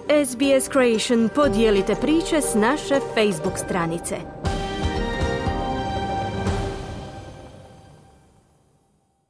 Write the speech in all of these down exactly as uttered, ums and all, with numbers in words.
S B S Creation podijelite priče s naše Facebook stranice.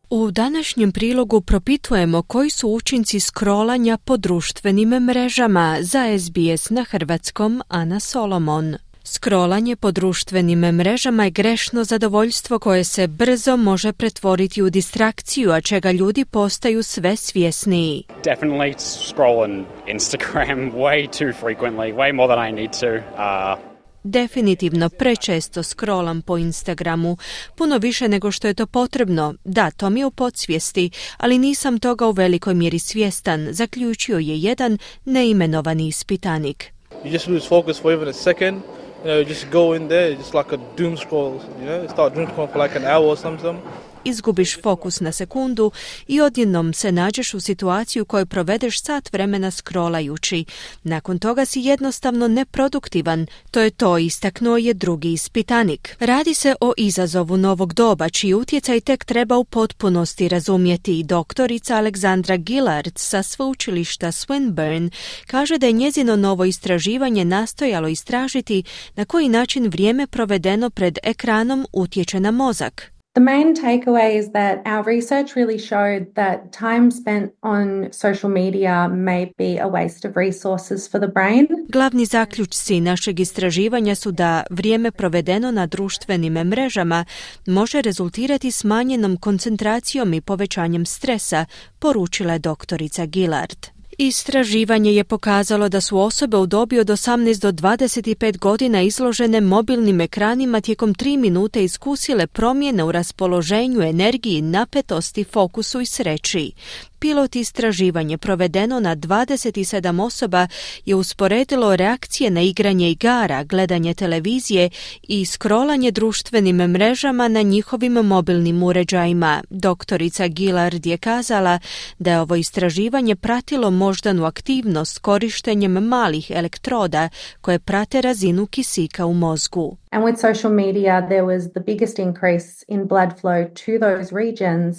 U današnjem prilogu propitujemo koji su učinci scrollanja po društvenim mrežama. Za S B S na hrvatskom Ana Solomon. Scrollanje po društvenim mrežama je grešno zadovoljstvo koje se brzo može pretvoriti u distrakciju, a čega ljudi postaju sve svjesniji. Definitely scroll on Instagram way too frequently, way more than I need to. Uh... Definitivno prečesto scrollam po Instagramu, puno više nego što je to potrebno. Da, to mi je u podsvijesti, ali nisam toga u velikoj mjeri svjestan, zaključio je jedan neimenovani ispitanik. You just lose focus for even a second. You know, you just go in there, just like a doom scroll, you know, start doom scrolling for like an hour or something. Izgubiš fokus na sekundu i odjednom se nađeš u situaciju u kojoj provedeš sat vremena scrollajući. Nakon toga si jednostavno neproduktivan. To je to, istaknuo je drugi ispitanik. Radi se o izazovu novog doba, čiji utjecaj tek treba u potpunosti razumjeti. Doktorica Alexandra Gillard sa sveučilišta Swinburne kaže da je njezino novo istraživanje nastojalo istražiti na koji način vrijeme provedeno pred ekranom utječe na mozak. The main takeaway is that our research really showed that time spent on social media may be a waste of resources for the brain. Glavni zaključci našeg istraživanja su da vrijeme provedeno na društvenim mrežama može rezultirati smanjenom koncentracijom i povećanjem stresa, poručila je doktorica Gillard. Istraživanje je pokazalo da su osobe u dobi od osamnaest do dvadeset pet godina izložene mobilnim ekranima tijekom tri minute iskusile promjene u raspoloženju, energiji, napetosti, fokusu i sreći. Pilot istraživanje provedeno na dvadeset sedam osoba je usporedilo reakcije na igranje igara, gledanje televizije i scrollanje društvenim mrežama na njihovim mobilnim uređajima. Doktorica Gillard je kazala da je ovo istraživanje pratilo moždanu aktivnost korištenjem malih elektroda koje prate razinu kisika u mozgu. And with social media there was the biggest increase in blood flow to those regions,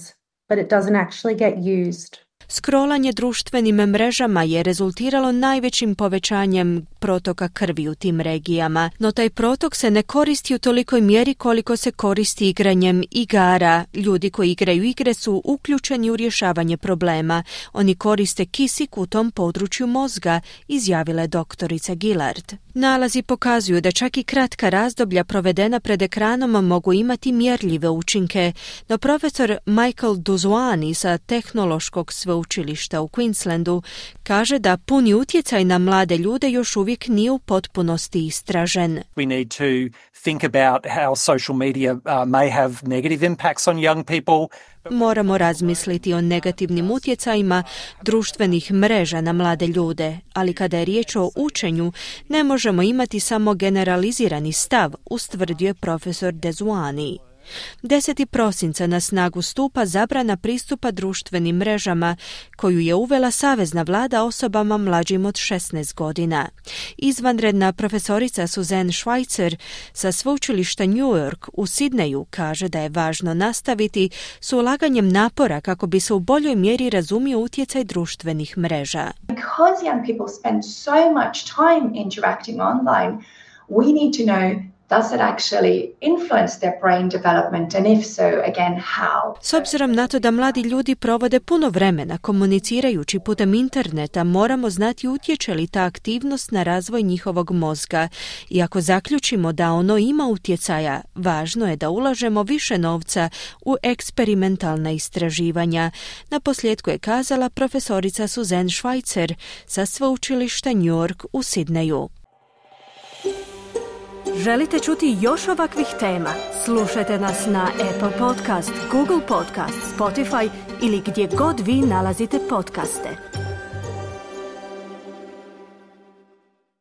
but it doesn't actually get used. Scrollanje društvenim mrežama je rezultiralo najvećim povećanjem protoka krvi u tim regijama, no taj protok se ne koristi u tolikoj mjeri koliko se koristi igranjem igara. Ljudi koji igraju igre su uključeni u rješavanje problema. Oni koriste kisik u tom području mozga, izjavila je doktorica Gillard. Nalazi pokazuju da čak i kratka razdoblja provedena pred ekranom mogu imati mjerljive učinke, no profesor Michael Duzwani sa tehnološkog sveučilišta u Queenslandu kaže da puni utjecaj na mlade ljude još uvijek nije u potpunosti istražen. We need to think about how social media uh, may have negative impacts on young people. Moramo razmisliti o negativnim utjecajima društvenih mreža na mlade ljude, ali kada je riječ o učenju, ne možemo imati samo generalizirani stav, ustvrdio je profesor Dezwani. deseti prosinca na snagu stupa zabrana pristupa društvenim mrežama koju je uvela savezna vlada osobama mlađim od šesnaest godina. Izvanredna profesorica Suzanne Schweitzer sa sveučilišta New York u Sidneju kaže da je važno nastaviti s ulaganjem napora kako bi se u boljoj mjeri razumio utjecaj društvenih mreža. Because young people spend so much time interacting online, we need to know does it actually influence their brain development, and if so, again, how? S obzirom na to da mladi ljudi provode puno vremena komunicirajući putem interneta, moramo znati utječe li ta aktivnost na razvoj njihovog mozga. I ako zaključimo da ono ima utjecaja, važno je da ulažemo više novca u eksperimentalna istraživanja. Na posljedku je kazala profesorica Suzanne Schweitzer sa sveučilišta New York u Sidneju. Želite čuti još ovakvih tema? Slušajte nas na Apple Podcast, Google Podcast, Spotify ili gdje god vi nalazite podcaste.